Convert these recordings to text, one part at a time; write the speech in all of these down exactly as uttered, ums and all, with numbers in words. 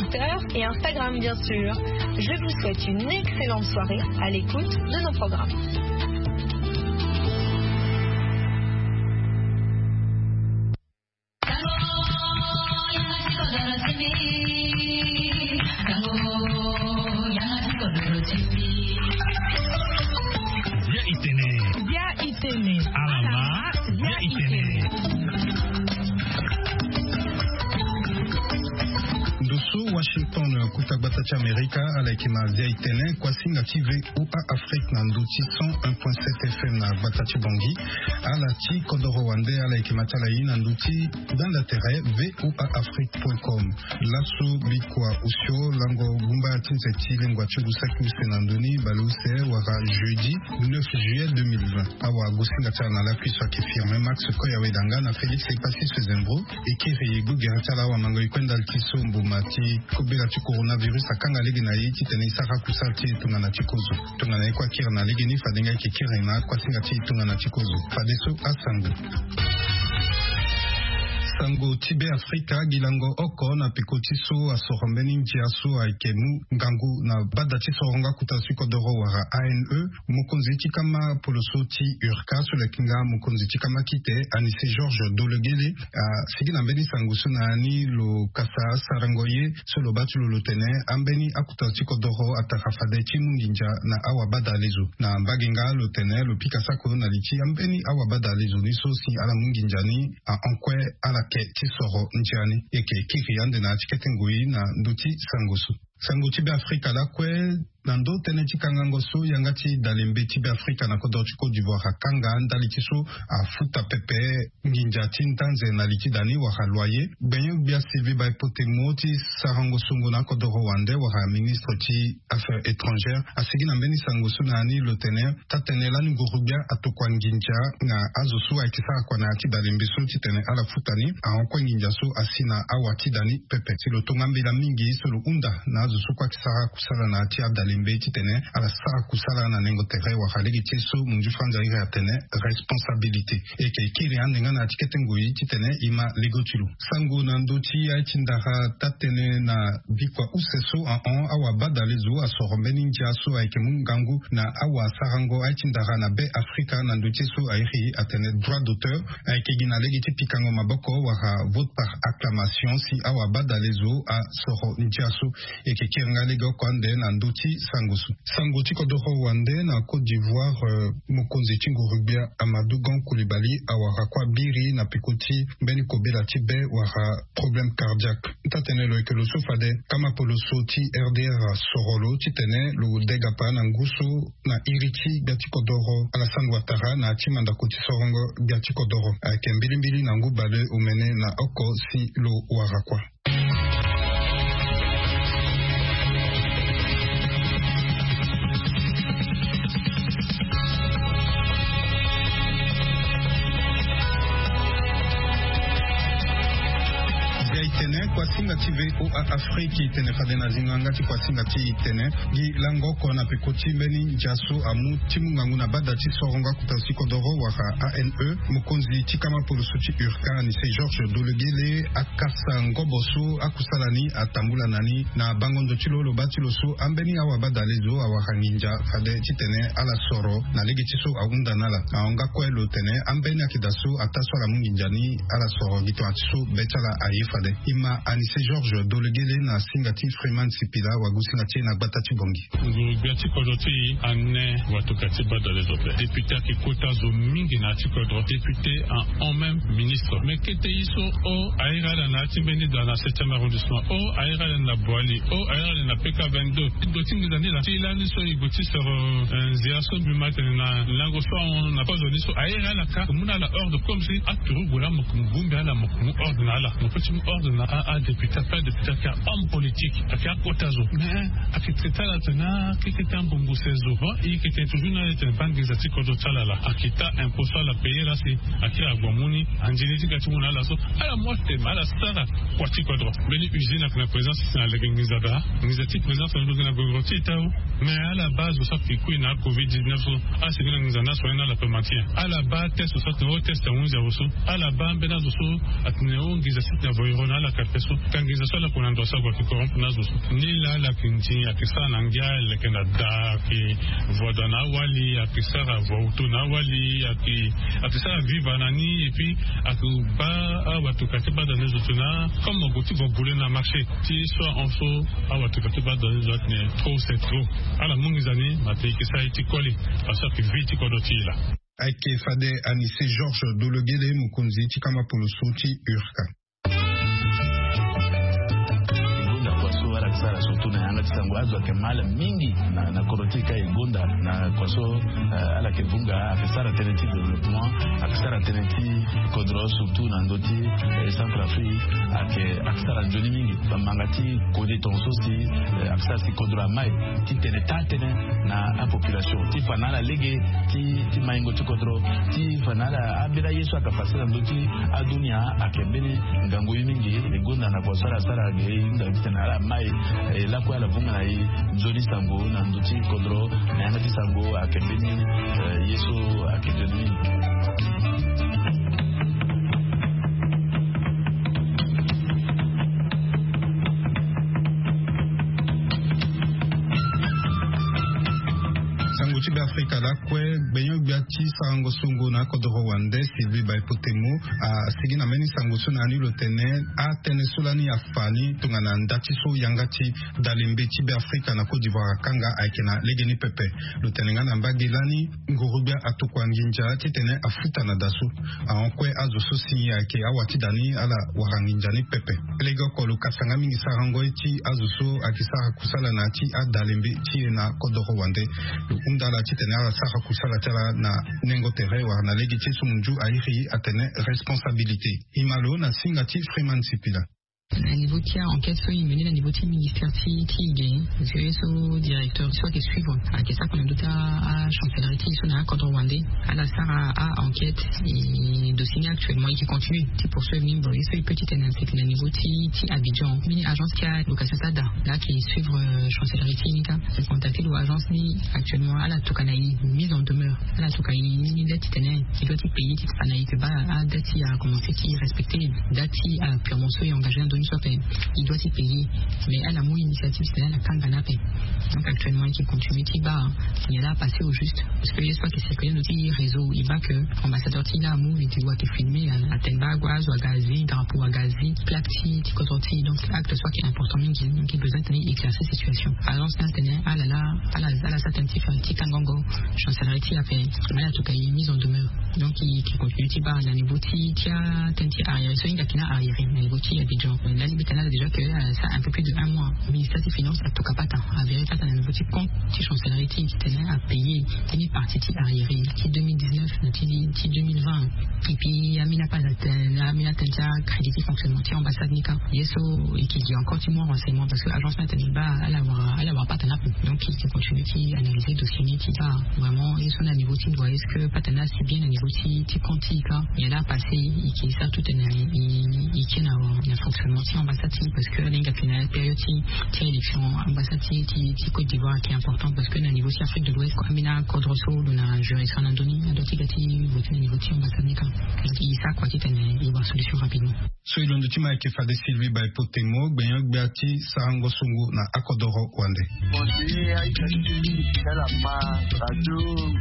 Twitter et Instagram, bien sûr. Je vous souhaite une excellente soirée à l'écoute de nos programmes. Bia itene. Bia itene. Alama. Bia itene. Ndo so Washington, kuta gbata ti Amerika, ala yeke ma Bia itene, kuasinga ti V O A Afrique na ndo ti cent un point sept F M na gbata ti Bangui. Ala ti kodoro wande, ala yeke ma ti ala ye na ndo ti gbanda tere V O A Afrique point com. Laso bikua osio lango gumba ti nze ti lengua ti ngu saki use na ndoni baleuse wala jeudi neuf juillet deux mille vingt. Awagosinga ti ala na lakui so ayeke Firmin Max Koya Wedanga na Félix Epassis Sezembro. E kiri gbogere ti ala awamango e kue ndali ti so mboma ti kobela ti coronavirus akanga lege na e titene e sara kusala ti e tongana ti kozo. Tongana e kue akiri na legeni, fade nga e yeke kiri na akuasinga ti e tongana ti kozo. Fadeso asango. Sango ti Be Afrika, gi lango oko na peko ti so asoro mbeni ndia so ayeke mu ngangu na bada ti sorongo akuta ti kodoro wala A N E. Mokonzi ti kama poloso ti URCA so lo yeke nga mokonzi ti kama kite, Anissé Georges Dolegele, asigi na mbeni sango so na ni lo kasa sarango ye so lo baa ti lo lo tene ambeni akuta ti kodoro atara fade ti mu nginza na awabadalezo. Na mbage nga lo tene lo pika sako na li ti ambeni awabadalezo ni so si ala mu nginza ni ahon kue ala ke ti soro ndia ni. E yeke kiri ande na ya ti kete ngoi na ndö ti sango so. Sango ti Be Afrika lakue, na ndo tënë ti kangango so yanga ti dalembe ti Be Afrika na kodro ti Côte d'Ivoire akanga ndali ti so afuta pepe nginza ti ndanze na li ti da ni wala loyer. Gbenyo-gbia Sylvie Baïpoté Mot ti sarango songo na akodoro wande wala ministre ti Affaires étrangères asigi na mbeni sango so na ya ni lo tene taa-tënë lani nguru-gbia atokua nginza na azo so ayeke sara kua na ya ti dalembe so titene ala futa ni ahon kue nginza so asi na awa ti da ni pepe. Si lo tonga mbela mingi so lo hunda na azo so kue ayeke sara kusala na ya ti adalembe titene ala sara kusala na nengo tere wala lege ti e so munzu franza iri atene responsabilité. E yeke kiri ande nga na ya ti kete ngoi titene e ma lego ti lo. Sango na ndö ti aye ti ndara taa-tënë na bikua use so ahon awabadalezo asoro mbeni ndia so ayeke mu ngangu na awasarango aye ti ndara na Be Afrika na ndö ti e so airi atene droit d'auteur. Ayeke gi na lege ti pikango maboko wala vote par acclamation si awabadalezo asoro ndia so. E yeke kiri nga lege oko ande na ndö ti sango so. Sango ti kodoro wande na Côte d'Ivoire, euh, mokonzi ti nguru-gbia Amadou Gon Coulibaly awara kue abiri na peko ti mbeni kobela ti be wala problème cardiaque. Taa-tënë lo yeke lo so fade kama poloso ti R D R asoro lo titene lo degapa na ngu so na iri ti gbia ti kodoro Alassane Ouattara na ya ti mandako ti sorongo gbia ti kodoro. Ayeke mbilimbili na ngu baleomene na oko si lo wara kua. Bia itene, kuasinga ti V O A Afrique itene fade na zingo yanga ti kuasinga ti itene. Gi lango oko na peko ti mbeni ndia so amu ti mu ngangu na bada ti sorongo akuta ti kodoro wala A N E. Mokonzi ti kama poloso ti URCA Anissé Georges Dolegele akasa ngobo so akusala ni atambula na ni. Na bango ndo ti lo lo baa ti lo so ambeni awabadalezo awara nginza fade titene ala soro na lege ti so ahunda na ala. Ahon nga kue lo tene ambeni akeda so ataa so ala mu nginza ni ala soro gi tongana ti so be ti ala aye fade. E ma Anissé Georges Dolegele na singa ti Freeman Sipila wagosinga ti e na gbata ti Bangui. Nguru-gbia ti kodro ti e ane watoka ti badalezo ape. Député ayeke kota zo mingi na ya ti kodro. Député ahon même ministre. Me kete ye so o airi ala na ya ti mbeni da na septième arrondissement, o airi ala na Boali, o airi ala na P K vingt-deux. Ndo ti nginza ni laa ti lani so e gue ti soro, euh, nzia so mbi ma tene na lango so ahon na kozo ni so airi ala kâ, mu na ala ordre comme si aturugu laa mo yeke mu bongbi ala, mo yeke mu ordre na ala. Mo peut ti mu ordre na a, adéputé ape. Adéputé ayeke homme politique, ayeke akota zo. Mais ayeke traité ala atene akekete ambongo se zo. Bon, e yeke tene toujours na ala tene baa nginza ti kodro ti ala laa. Ayeke taa impôt so ala payer laa si akiri ague amu ni, anzeni ti ga ti mu na ala so. Ala mu atene ala sara kua ti kodro. Mbeni usine ayeke na présence si na lege nginza daa. Nginza ti présence na lo gi na gogoro ti e taa o. Mais ala baa zo so ayeke kui na covid dix-neuf so, ala sigi na nginza ni asoigner na ala pe matin. Ala baa test so atene o test ahunzi awe so. Ala baa mbeni azo so atene o nginza ti tene avoyoro na ala kate so. Ka nginza so ala kue na ndo so ague ayeke koron. Na zo so ni laa ala yeke nzi, ayeke sara na ngia, ala yeke na da, ayeke voda na awali, ayeke sara voauto na awali, ayeke ayeke sara viva na ni. Et puis ayeke baa awatuka ti baa da na ni zo tena comme ague ti gue gule na marché ti so ahon so. Awatuka ti baa da na ni zo atene trop c'est trop. Ala mu nginza ni ma te e yeke sara ye ti koli. Parce que ayeke vie ti kodro ti e laa. Ayeke fade Anise Georges Dologele, mokonzi ti kama poloso ti urka. E gonda kua so ala yeke sara surtout na yanga ti sango, azo ayeke ma ala mingi na, na kodro ti e ka. E gonda na kua so, eh, ala yeke vunga, ayeke sara tënë ti développement, ayeke sara tënë ti kodro surtout na ndö ti, eh, Centrafrique, ayeke, ayeke sara nzoni mingi. Bamanga ti kode tongaso si, eh, ayeke sara si kodro amai titene taa tënë na apopulation ti fa na ala lege ti, ti maingo ti kodro, ti fa na ala ambeni aye so ayeke pase na ndö ti adunia. Ayeke mbeni ngangu ye mingi. E gonda na kua so ala sara ge e hunda titene ala mai, eh, lakue ala vunga na e nzoni sango na ndö ti kodro na yanga ti sango. Ayeke mbeni, eh, ye so ayeke nzoni mingi. Sango ti Beafrika lakue, gbenyo-gbia ti sarango songo na akodoro wande Sylvie Baipotemo asigi na mbeni sango so na ya ni lo tene atënë so lani afa ni tongana nda ti so yanga ti dalembe ti Beafrika na Côte d'Ivoire akanga ayeke na legeni pepe. Lo tene nga na mbage lani nguru-gbia atokua nginza titene afuta na da so. Ahon kue azo so si ayeke awa ti da ni ala wara nginza ni pepe. Lege oko lo kasa nga mingi sarango ye ti azo so ayeke sara kusala na ya ti adalembe ti e na kodoro wande. Lo hunda ala titene ala sara kusala ti ala na nengo tere wala na lege ti e so munzu airi atene responsabilité. E ma lo na singa ti Freeman Sipila. Na niveau ti a-enquête so e mené na niveau ti ministère ti, ti e ge, parce que ye so directeur so ayeke suivre ayeke sara kue na ndö ti a-chancellerie ti e so na akodro wande. Ala sara a-enquête, e dossier ni actuellement e yeke continuer ti poursuivre ni. Bon, ye so e peut ti tene na seki na niveau ti, ti Abidjan, mbeni agence ti alocation ti ada laa ayeke suivre, euh, chancellerie ti e ni kâ. E contacter lo agence ni actuellement, ala tokua na e mise en demeure. Ala tokua na e ni, ni date titene e doit ti payer ti fa na e yeke baa adate ti a commencé ti respecter date ti apurement so e engagé na ndö ni so ape. E doit ti payer. Mais ala mu initiative titene ala kanga ni ape. Donc actuellement e yeke continuer ti baa nyen laa apasé au juste. Parce que ye so ayeke circuler na ndö ti réseau, e baa que ambassadeur ti e laa amu vidéo ayeke filmer, a, atene baa azo aga azi drapeau, aga azi plaque ti, ti kodro ti e. Donc acte so ayeke important mingi. Donc e besoin titene e éclaircir situation. Agence ni atene ala laa, ala, ala sara tënë ti fa ti kangango chancellerie ti e ape. Mais ala tokua e mise en demeure. Donc e yeke continuer ti baa na niveau ti, ti atënë ti arriéré so e hinga ayeke na arriéré na niveau ti Abidjan. Lani mbi tene na ala déjà que, euh, ça un peu plus de un mois, ministère ti finance atokua patara, avéré patara na niveau ti compte ti chancellerie ti e titene apayer ti ni partie ti arriéré ti deux mille dix-neuf na ti, ti deux mille vingt. Et puis ambeni apasa tënë, ambeni atënë ti acrédit ti fonctionnement ti ambassade ni kâ. Ye so e yeke gi encore ti mu renseignement parce que agence ni atene e baa ala wara, ala wara patara na ape. Donc e yeke continuer ti analyser dossier ni ti baa vraiment ye so na niveau ti ndua, est-ce que patara ni asi bien na niveau ti, ti compte ti e kâ. Nyen laa apasé, e yeke sara tout tene e, e tien na, na fonctionnement ti ambassade ti e parce que ala hinga ayeke na période ti, ti élection. Ambassade ti, ti, ti Côte d'Ivoire ayeke important parce que na niveau ti Afrique de l'Ouest kua, ambeni akodro so lo na juridiction na ndö ni, adoit ti ga ti voter na niveau ti ambassade ni kâ. Donc e sara kua titene e wara solution rapidement. So e londo ti ma ayeke fade Sylvie Baipotemo, gbenyo-gbia ti sarango songo na akodoro wande. Conseiller aita ti mingi ti ala ma radio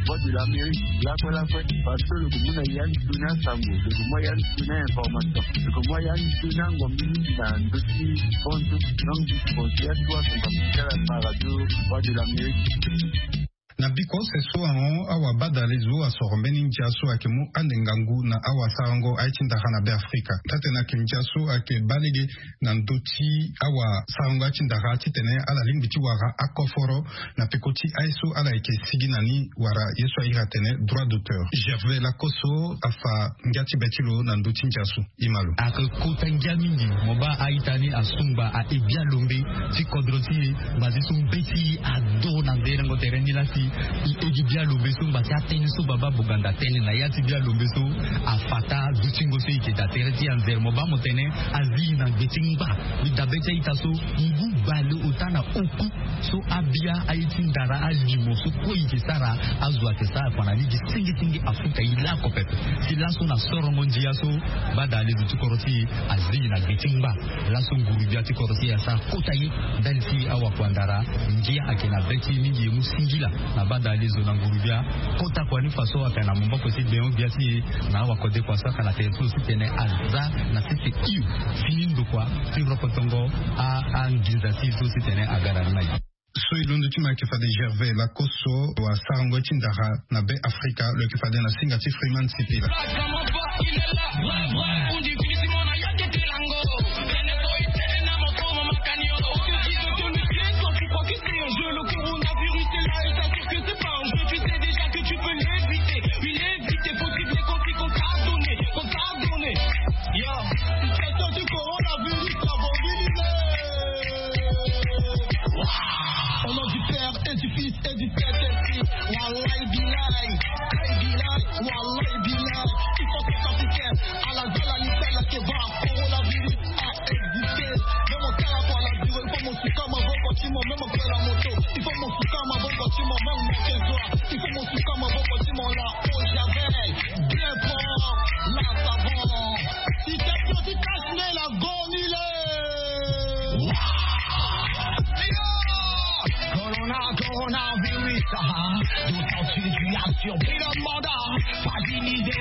Voix de l'Amérique lakue lakue. Parce que lo yeke mu na ya ni toni asango, lo yeke mu ya ni toni a-information, lo yeke mu ya ni toni angombe mingi na ndö ti fonds. Donc conseiller atu atonga ti ala ma radio Voix de l'Amérique. Na bikose so ahon, awabadale zo asoro mbeni ndia so ayeke mu ande ngangu na awasarango aye ti ndara na Beafrika. Taa-tënë ayeke ndia so ayeke baa lege na ndö ti awasarango aye ti ndara titene ala lingbi ti wara akoforo na peko ti aye so ala yeke sigi na ni wala ye so a iri atene droit d'auteur. Gervais Lakoso afa ngia ti be ti lo na ndö ti ndia so. Imalo. Ayeke kota ngia mingi. Mo baa a-ita ni asungba ahe bialombe ti kodro ti e. Ngbazi so mbeti ado na nderengo tere ni laa si e he gi bialombe so, ngba si atënë so baba Boganda atene na ya ti bialombe so afa taa dutingo so e yeke daa tere ti e anzere. Mo baa mo tene azi e na gbe ti ngba. Mbi daa be ti a-ita so ngu Bale ota na oku so abia aye ti ndara alimo so kue eke sara. Azo ake sara kua na lege senge senge afuta ye lako pepe. Si laso na sorongo ndia so bada alezo ti koro ti e azingi na gbe ti ngba. Laso nguru-gbia ti koro ti e asara kota ye ndali ti awakua ndara. Ngia ake na be ti e mingi e mu singila na bada alezo na nguru-gbia. Kota kua ni fa so aka na maboko ti gbengo-gbia ti e na awakodekua so aka na tere ti lo titene aza na sese iu fini ndokua ti rokotongo anginza ti e so titene aga na ni na ye. So e londo ti mo ayeke fade Gervais lakoso wasarango ti ndara na be Afrika lo yeke fade na singa ti Freeman Sipila.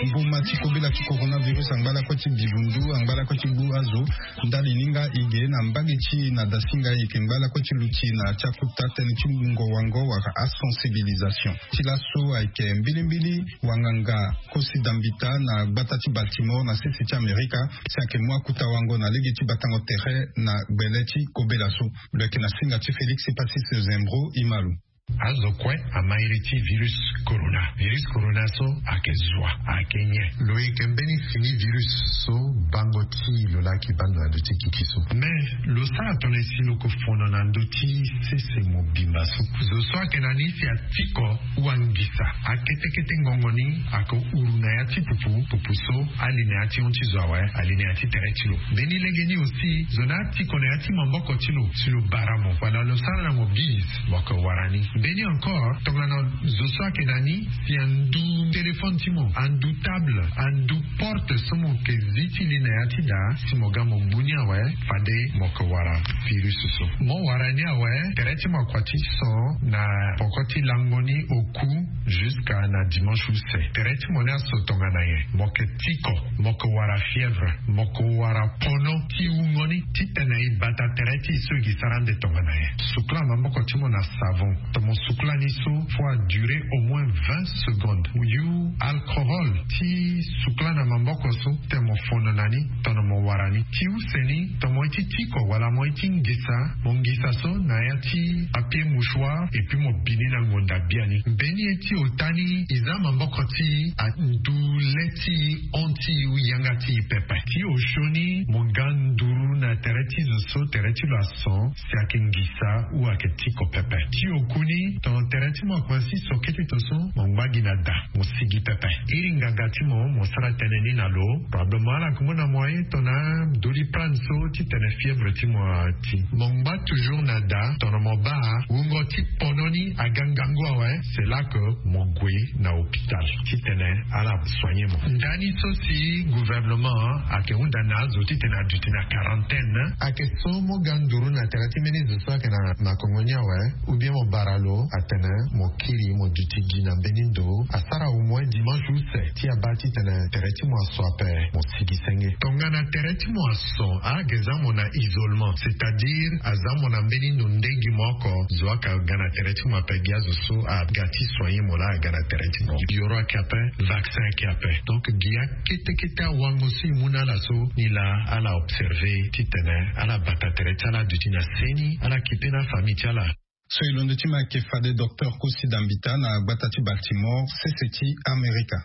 Mboma ti kobela ti coronavirus angba lakue ti bivundu angba lakue ti gbu azo. Ndali ni nga e ge na mbage ti e na dasinga e yeke ngba lakue ti luti na ya ti akuta tënë ti ngongo wango wala asensibilisation. Ti laso ayeke mbilimbili wanganga Kosi Dambita na gbata ti Baltimore na sese ti Amerika si ayeke mu akuta wango na lege ti batango tere na gbele ti kobela so. Lo yeke na singa ti Félix Pacis Zembro Imalu. Azo kue ama iri ti virus corona. Virus corona so ayeke zua, ayeke nyen? Lo yeke mbeni fini virus so bango ti lo laa ayeke baa ndo na ndö ti gigi so. Mais lo sara tongana si lo yeke fono na ndö ti sese mobimba so. Zo so ayeke na ni si atiko wangisa akete kete ngongo ni ayeke huru na ya ti pupu, pupu so ali na ya ti hon ti zo awe, ali na ya ti tere ti lo. Mbeni lege ni aussi zo ni atiko na ya ti maboko ti lo si lo bara mo wala lo sara na mo bise mo yeke wara ni. Mbeni encore tongana zo so ayeke na ni si andu téléphone ti mo, andu table, andu porte so mo yeke zi ti li na ya ti daa si mo ga mo gbu ni awe, fade mo yeke wara virus so. Mo wara ni awe, tere ti mo akua ti son na poko ti lango ni oku jusqu'à na dimanche use. Tere ti mo ni aso tongana nyen? Mo yeke tiko, mo yeke wara fièvre, mo yeke wara pono ti wungo ni titene e bata tere ti e so e ke sara ande tongana nyen? Sukula maboko ti mo na savon. Tongana mo sukula ni so, faut a durer au moins vingt secondes. Yu alcohol ti sukula na maboko so titene mo fono na ni tongana mo wara ni. Ti use ni, tongana mo ye ti tiko wala mo ye ti ngisa, mo ngisa so na ya ti papier mouchoir et puis mo bi ni na ngonda biani. Mbeni ye ti ota ni e za maboko ti e andu le ti e, hon ti e ou yanga ti e pepe. Ti osio ni mo ga nduru na tere ti zo so tere ti lo ason si ayeke ngisa ou ayeke tiko pepe. Ti oku ni tongana tere ti mo akua si so kete to so, mo ngba gi na da, mo sigi pepe. Iri nganga ti mo, mo sara tënë ni na lo. Probablement ala yeke mu na mo aye tongana Doliprane so titene fièvre ti mo ati. Mo ngba toujours na da, tongana mo baa wungo ti pono ni aga ngangu awe, c'est là que mo gue na hôpital titene ala soigner mo. Ndani so si gouvernement ayeke hunda na azo titene aduti na quarantaine, ayeke so mo ga nduru na tere ti mbeni zo so ayeke na, na kongo ni awe, ou bien mo bara lo atene mo kiri mo duti gi na mbeni ndo, asara au moins dimanche use ti abaa titene tere ti mo aso ape mo sigi senge. Tongana tere ti mo aso, ayeke za mo na isolement, c'est-à-dire aza mo na mbeni ndo nde gi mo oko, zo ayeke ga na tere ti mo ape, gi azo so aga ti soigner mo laa aga na tere ti mo. Yoro ayeke ape, vaccin ayeke ape. Donc gi akete kete awango so e mu na ala so, ni laa ala observer titene ala bata tere ti ala duti na seni, ala kipe na afamille ti ala. So e londo ti mo ayeke fade docteur Kosi Dambita na gbata ti Baltimore, sese ti Amerika.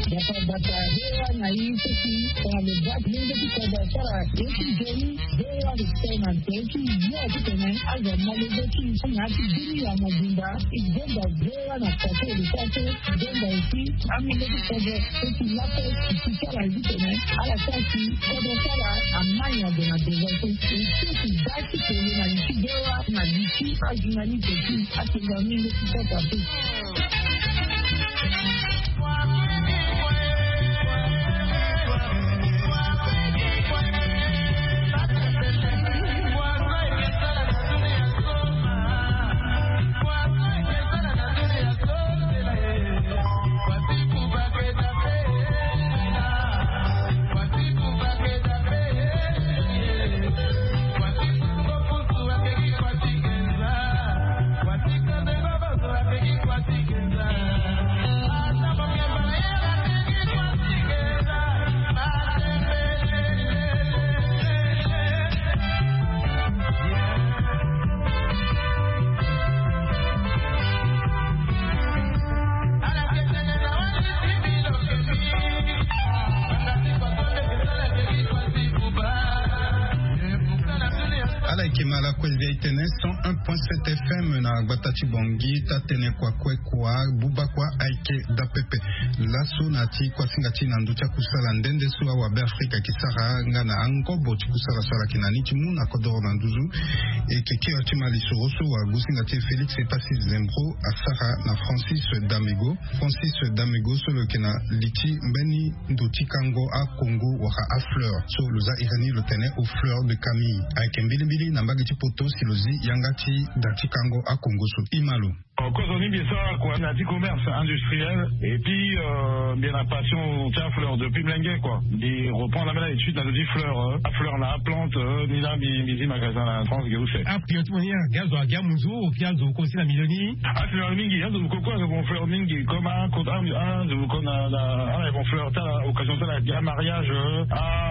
Bata bata, bewa na i seki. Tongana lo bati lenge ti kodro asara ye ti jeni. Bewa respect na nte ti yo ti tene azo malege ti i so na ya ti bini ya mobimba. I donda bewa na kote lo sa so. I donda esi amenge ti kodro seki lape. I ti sara ye ti tene ala sa si kodro sara amani ado na deza so. I seki ba ti tene na li ti bewa na li ti ajournaliste ti atenga mingi ti kota pe. Ala yeke ma lakue via e tene cent un point sept F M na gbata ti Bangui. Taa-tënë kua kue kua buba kua ayeke daa pepe. Laso na ya ti kuasinga ti e na ndö ti akusala nde nde so awabe afrika ayeke sara nga na angobo ti kusala so ala yeke na ni ti mu na kodoro na nduzu. E yeke kiri ti ma lisoro so wagosinga ti e Félix Epassis Zembro asara na Francis Damego. Francis Damego so lo yeke na li ti mbeni ndo ti kango akongo wala afleur so lo za iri ni lo tene au fleur de Camille. Ayeke mbilimbili na mbage ti poto si lo zi yanga ti da ti kango akongo so. Ima lo. Kozo ni mbi e sara kua na ya ti commerce industriel. Et puis euh, mbi na passion ti afleur depuis mlenge kua. Mbi reprend la même étude na lo ti fleur, afleur na aplante. Ni la mbi zi magasin na France ge use. Aplante mo ni ake azo ake amunzu oke azo kosi na milieu ni. Afleur mingi azo koko azo bon fleur mingi comme azo koko na ala bon fleur ti ala occasion ti ala amariage.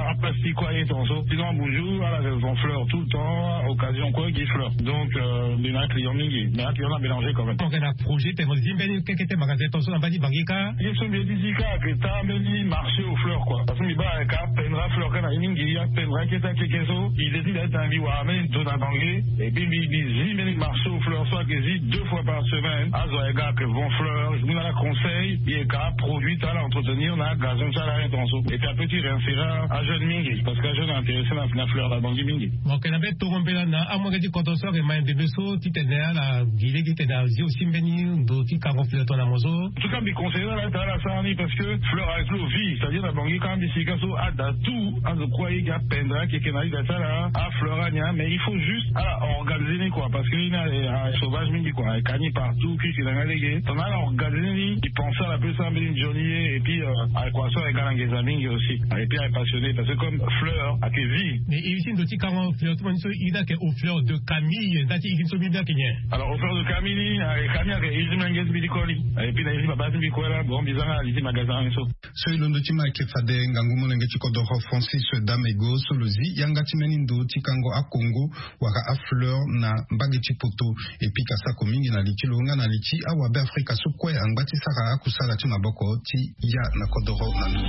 Aplastique kua aye tonso sinon amunzu ala bon fleur tout le temps occasion kue gi fleur. Donc mbi na aclient mingi mais aclient na mélanger quand même. Projet tene mo zi mbeni keke ti magasin tonso na mba ti Bangui kâ. Ye so mbi ye ti zi kâ ayeke taa mbeni marché aux fleurs kua parce que mbi baa ayeke apendre afleur kâ na ye mingi apendre akete akeke so. Idée ti mbi aye tena mbi wara mbeni ndo na Bangui. Et puis mbi zi mbeni marché aux fleurs so ayeke zi deux fois par semaine azo ayeke ga ayeke vend fleur. Mbi na ala conseil mbi yeke aproduit ti ala entretenir na agazon ti ala aye tonso. Et puis apeut ti réinsérer ajeune mingi parce que ajeune intéressé na fleur na Bangui mingi. Mo yeke na mbeni tongo mbela na amolenge ti kodro so ayeke ma ndembe so titene ala gi lege titene azi aussi mbeni ndo ti kango fleur tongana mo so. En tout cas mbi conseiller ala titene ala sara ni parce que fleur avec lo vie c'est-à-dire na Bangui kâ mbi sika so ada tout azo kue aye gi apendre akeke na liga ti ala afleur ani. Mais il faut juste ala organiser ni kua parce que ni aye sauvage mingi kua aye ka ni partout kiki na nga lege tongana ala organiser ni. Mbi pense ala pe sara mbeni nzoni ye et puis aye kua so aye ga na nginza mingi aussi. Et puis aye passionné parce que comme fleur ayeke vie. Mais iri ti ndo ti kango fleur ti mo ni so iri ni ayeke au fleur de Camille nda ti iri ni so mbi mbi ayeke nyen? Alors au fleur de Camille ni aye Camille ayeke iri ti mbi na nge ti mbi ti koli. Et puis na iri ti baba ti mbi kue la bon mbi za nga na li ti magasin ni so. So e londo ti ma ayeke fade ngangu molenge ti kodoro Francis Damego so lo zi yanga ti mbeni ndo ti kango akongo wala afleur na mbage ti poto. E pika sako mingi na li ti lo nga na li ti awabe afrika so kue angba ti sara akusala ti maboko ti ya na kodoro na nduzu.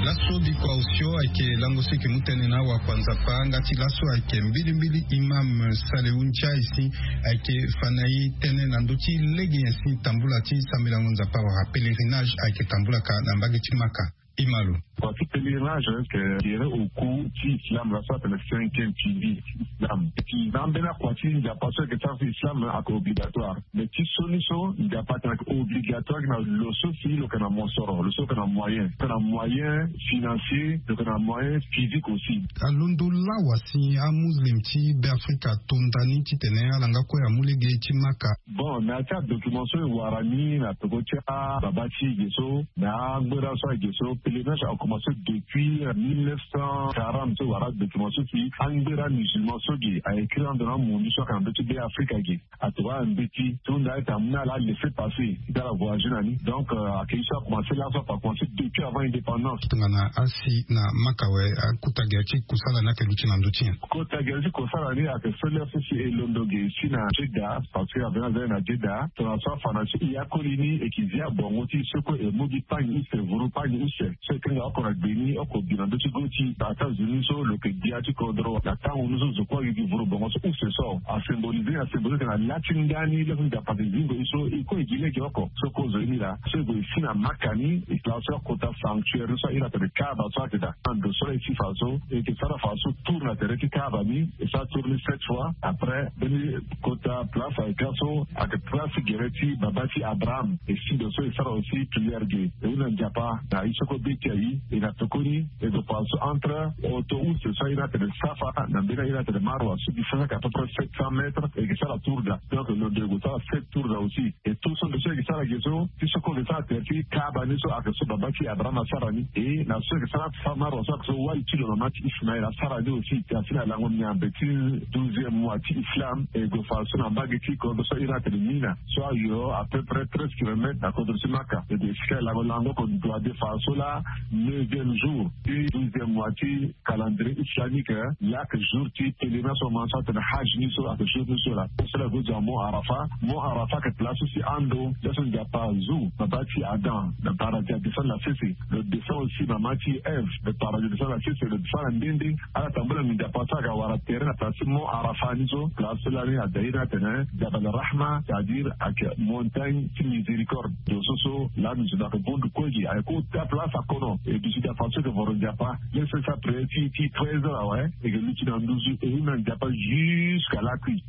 Laso bikua osio ayeke lango so e yeke mu tënë na awakua nzapa nga ti laso ayeke mbilimbili imam Salehu Ntiaye si ayeke fa na e tënë na ndö ti lege nyen si tambula ti sambelango nzapa wala pèlerinage ayeke tambula ka na mbage ti Maka. Ima lo. Kua ti pèlerinage ayeke gere au cours ti islam la so atene cinquième pilier ti islam. Ti na ambeni akua ti nzapa so ayeke sara ti islam ayeke obligatoire. Mais ti so ni so nzapa atene ayeke obligatoire na lo so si lo yeke na mosoro lo so lo yeke na moyen lo yeke na moyen financier lo yeke na moyen physique aussi. Alondo lawa si amuslim ti Beafrika ato nda ni titene ala nga kue amu lege ti Maka. Bon na ya ti adocument so e wara ni na peko ti ababa ti e ge so na angbera so ayeke ge so pèlerinage ayeke Mo so depuis mille neuf cent quarante so wara document so si angbera musulman so ge a écrit ando na mundu so aka na ndö ti be afrika ge. Atokua na mbeti ti hunda ete amu na ala laisser passer ti ala voyager na ni. Donc ayeke ye so akomanse laso ape akomanse depuis avant indépendance. Tongana asi na maka awe, akota gere ti kosala ni ayeke luti na ndö ti nyen? Kota gere ti kosala ni ayeke so lere so si e londo ge si na jeddah, parce que avena zani na jeddah tongana so afa na so e ya koli ni e yeke zi abongo ti e so kue e mu gi pagne use vuru pagne use. So e kanga oko na gbe ni oko gi na ndö ti go ti États-Unis so lo yeke gbia ti kodro na tango ni so zo kue ayeke gi vuru bongo so use so asymbolise ni asymbolise na la ti nda ni laa so nzapa ayeke zingo e so e kue e gi lege oko so kozo ye ni laa so e gue e si na maka ni e laa so akota sanctuaire ni so ahiri atene kaaba so ayeke daa na ndo so laa e si fa so e yeke sara fa so tour na tere ti kaaba ni. E sara tour ni sept fois après mbeni kota place ayeke ga so ayeke place gere ti baba ti abraham. E si ndo so e sara aussi prière ge e hunda nzapa na ye so kue be ti aye. E na tokoni e gue fa so entre oto use so ahiri atene safa na mbeni ahiri atene marwa so distance ayeke à peu près sept cents mètres e yeke sara tour daa. Donc londo e gue sara sept tour daa aussi. E tout so ndo so e yeke sara ge so ti so kue e yeke sara tere ti kaaba ni so ayeke so baba ti abraham asara ni e na so e yeke sara safa marwa so ayeke so wali ti lo mama ti ismael asara ni aussi. Asi na lango miambe ti douzième mois ti islam e gue fa so na mbage ti kodro so ahiri atene mina so ayo à peu près treize kilomètres na kodro ti maka e gue esika e lango lango oko ndo ade fa so laa neuvième jour ti douzième mois ti calendrier islamique. Laa ayeke jour ti pèlerinage so mama so atene haj ni so ayeke jour ni so laa so laa e gue zo na mont arafa. Mont arafa ayeke place so si ando laa so nzapa azu baba ti adam na paradis adescendre na sese. Lo descend aussi mama ti eve na paradis adescendre na sese lo descendre na nde nde. Ala tambula nzapa so aga wara tere na place ti mont arafa ni so place so lani ada ye ni atene jabal rahma c'est à dire ayeke montagne ti miséricorde. Ndo so so lani zo na ayeke bondu kue gi ayeke kota place akono e duti daa fa so ayeke voro nzapa. Lere so e sara prière ti ti treize heures awe e yeke luti na nduzu e hunda nzapa jusqu'à lakui.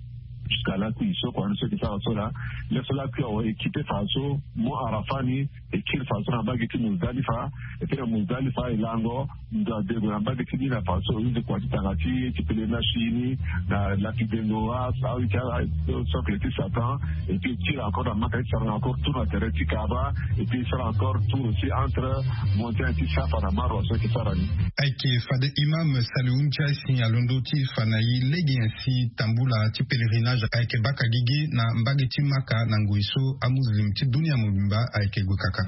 Jusqu'à lakui so kua ni so e yeke sara so laa lere so lakui awe e kipe fa so mont arafa ni e kiri fa so na mbage ti muzdalifa. E kiri na muzdalifa e lango ndo ade gue na mbage ti ni na fa so e use kua ti tanga ti ti pele na si ni na laki dengo wa awi ti ala sokle ti satan. Et puis e tire encore na maka ti sara encore tour na tere ti kaba. Et puis e sara encore tour aussi entre montagne ti safa na marwa so ayeke sara ni. Ayeke fade imam salihu ntiaisi alondo ti fa na e lege nyen si tambula ti pèlerinage ayeke baka gigi na mbage ti maka na ngoi so amuslim ti dunia mobimba ayeke gue kaka.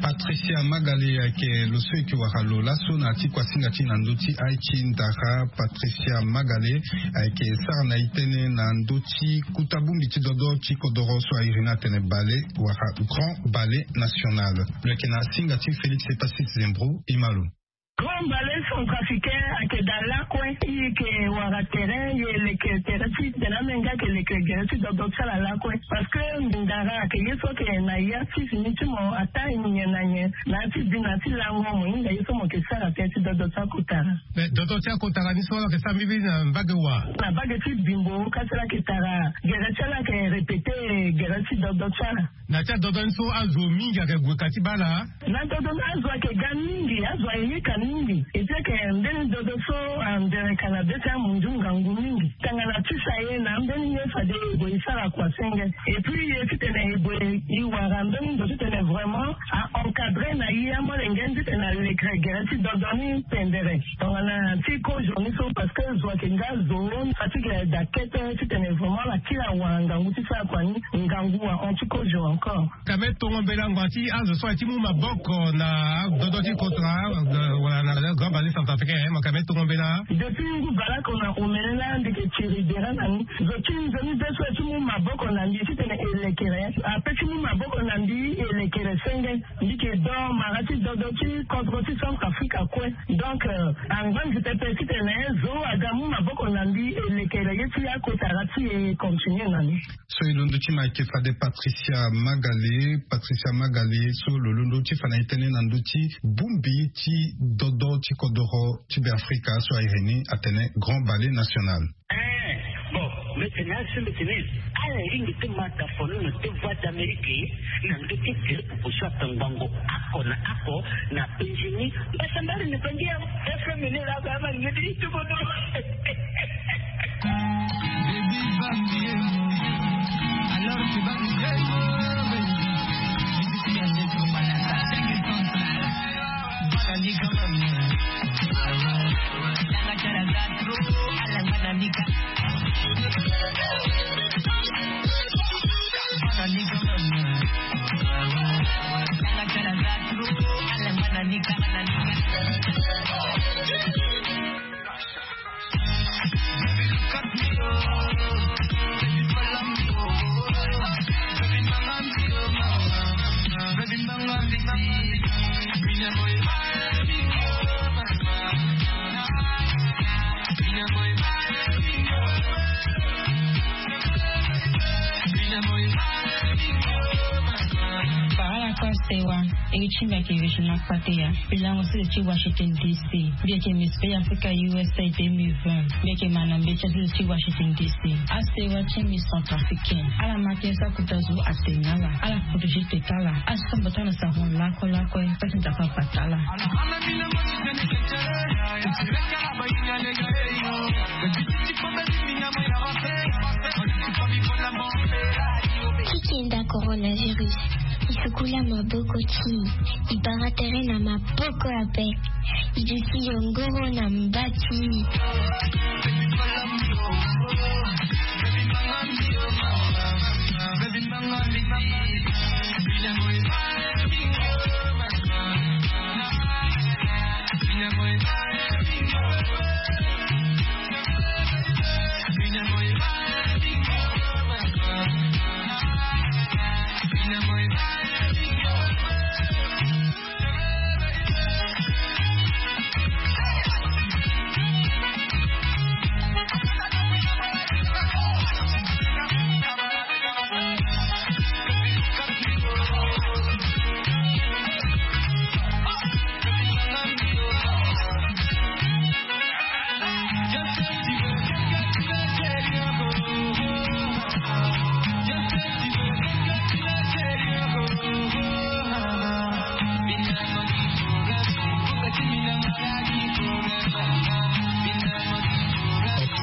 Patricia magale ayeke lo so e yeke wara lo laso na ya ti kuasinga ti na ndö ti ai ti ndara. Patricia magale ayeke sara na e tënë na ndö ti kuta bongbi ti dodo ti kodoro so airi ni atene bale wala grand bale national. Lo yeke na singa ti félix epasis zembro. Imalo. Grand bale centrafricain ayeke daa lakue. E yeke wara tere e leke tere ti tene amenga ayeke leke gere ti dodo ti ala lakue. Parce que ndara ayeke ye so ayeke na ya ti fini ti mo ataa nyen na nyen na ya ti bi na ya ti lango mo hinga ye so mo yeke sara tere ti dodo ti akotara. Mais dodo ti akotara ni so ala yeke sara mbibi na mbage wa? Na mbage ti bimbo kasi ala yeke tara gere ti ala ayeke répéter gere ti dodo ti ala. Na ti adodo ni so azo mingi ayeke gue ka ti baa ala? Na dodo ni azo ayeke ga mingi azo ayeke yeka mingi. Eti ayeke mbeni dodo so andere ka na be ti amunzu ngangu mingi. Tangana ti sa ye na mbeni ye fade e gue e sara kua senge. Et puis ye titene e gue e wara mbeni ndo titene vraiment a encadrer na ye amolenge ni titene alekere gere ti dodo ni pendere. Tongana ti kozo ni so parce que zo ayeke nga zo fatigue daa kete titene vraiment ala kiri awara ngangu ti sara kua ni. Ngangu ahon ti kozo encore. Kame tongo mbela ngua ti azo so aye ti mu maboko na dodo ti kotara wala na grand bale centrafricain mo kame tongo mbela? Depuis ngu baleoko na omene laa mbi yeke tiri dere na ni. Zo ti nzoni be so aye ti mu maboko na mbi titene e lekere ape ti mu maboko na mbi e lekere senge. Mbi yeke do mara ti dodo ti kodro ti centrafrique akue. Donc angba mbi pepe titene zo aga mu maboko na mbi e lekere ye ti akotara ti e continue na ni. So e londo ti ma ayeke fade patricia magale. Patricia magale so lo londo ti fa na e tënë na ndö ti bongbi ti dodo ti kodoro ti be afrika so airi ni atene grand bale national. Eh, bon, mete Na sembe tene ala lingbi te ma ta fono na te Voix d'Amérique na ndö ti groupe oso atongbango ako na ako na Benjini. Mbasambari na bangi ya F M ni la ba ma ngedi tuko do. Baby, baby, alors tu vas me dire, Parala kue asewa. E ti mbi ayeke Regina Kpateya. Mbi lango sese ti Washington D C. Mbi yeke Miss Belle Africa U S A deux mille vingt. Mbi yeke ma na mbeti asese ti Washington D C. Asewa ti mbi Centrafricaine. Ala ma tënë so akota zo atene na ala. Ala protégé tete ala. Asomba tënë na sarango lakue lakue. Pasi Nzapa abata ala. Ti kenda coronavirus, e sukula maboko ti e, e bara tere na maboko ape. E duti yongoro na mba ti e.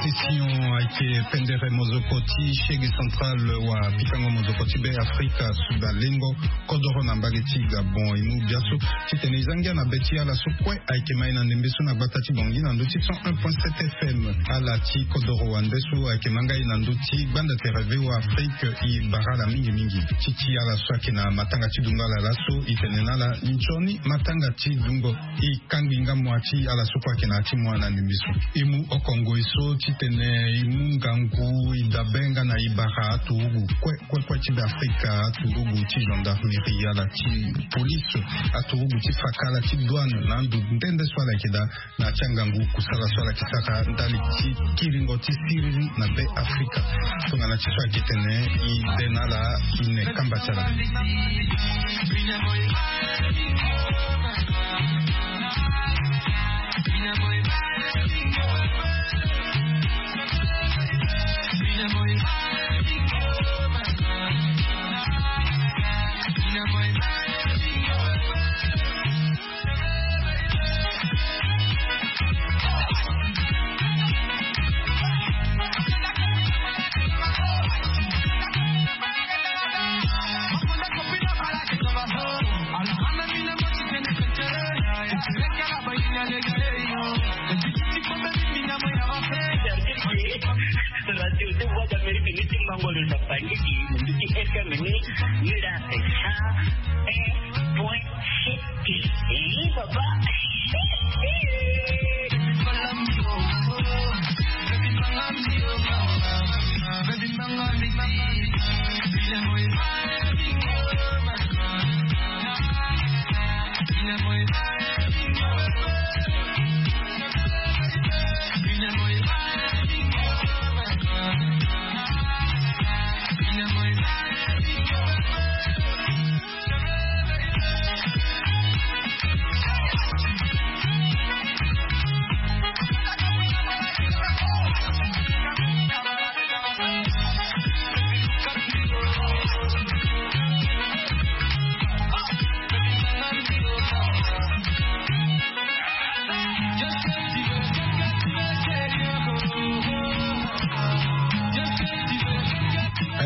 Obsession ayeke pendere mozoko ti Shege Central wa pikango mozoko ti Be Afrika, Suda Lengo, kodoro na mbage ti Gabon. E mu biaso titene e za ngia na be ti ala so kue ayeke ma e na ndembe so na gbata ti Bangui na ndö ti cent un point sept F M. Ala ti kodoro wande so ayeke ma ngai na ndö ti gbanda tere V O A Afrique. E bara ala mingi mingi. Ti ti ala so ayeke na matanga ti dungo ala laso, e tene na ala nzoni matanga ti dungo. E kangbi ngambo ti ala so kue ayeke na ya ti mo na ndembe so. E mu oko ngoi so titene e mu ngangu, e dabe nga na e bara aturugu kue kue kue ti Be Afrika, aturugu ti gendarmerie, ala ti police, aturugu ti faka, ala ti douane, na ando nde nde so ala yeke daa na ya ti angangu kusala so ala yeke sara ndali ti kiringo ti siriri na Be Afrika. Tongana ti so ayeke tene, e be na ala, e ne kamba ti ala. Radio de Voix d'Amérique ni ti mango lo na bangiki ni ti F M ni ni la sa un point sept. Eh, papa.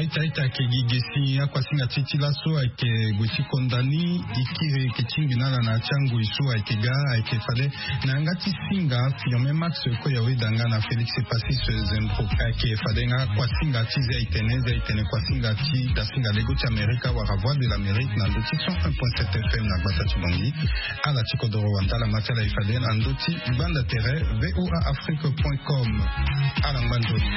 Taita ayeke gi ge si akuasinga ti e ti laso ayeke gue ti konda ni. E kiri e yeke tingbi na ala na ya ti angoi so ayeke ga, ayeke fade na yanga ti singa firme max koya weda nga na Félix Passy se zembro ayeke fade nga akuasinga ti ze aitene ze aitene kuasinga ti dasinga lego ti Amerika wala Voix de l'Amérique na ndo ti cent un point sept F M na gbasa ti Bangui. Ala ti kodoro wanda ala ma ti ala e fade na ndo ti gbanda tere voa afrique point com. Ala ngba nzoni.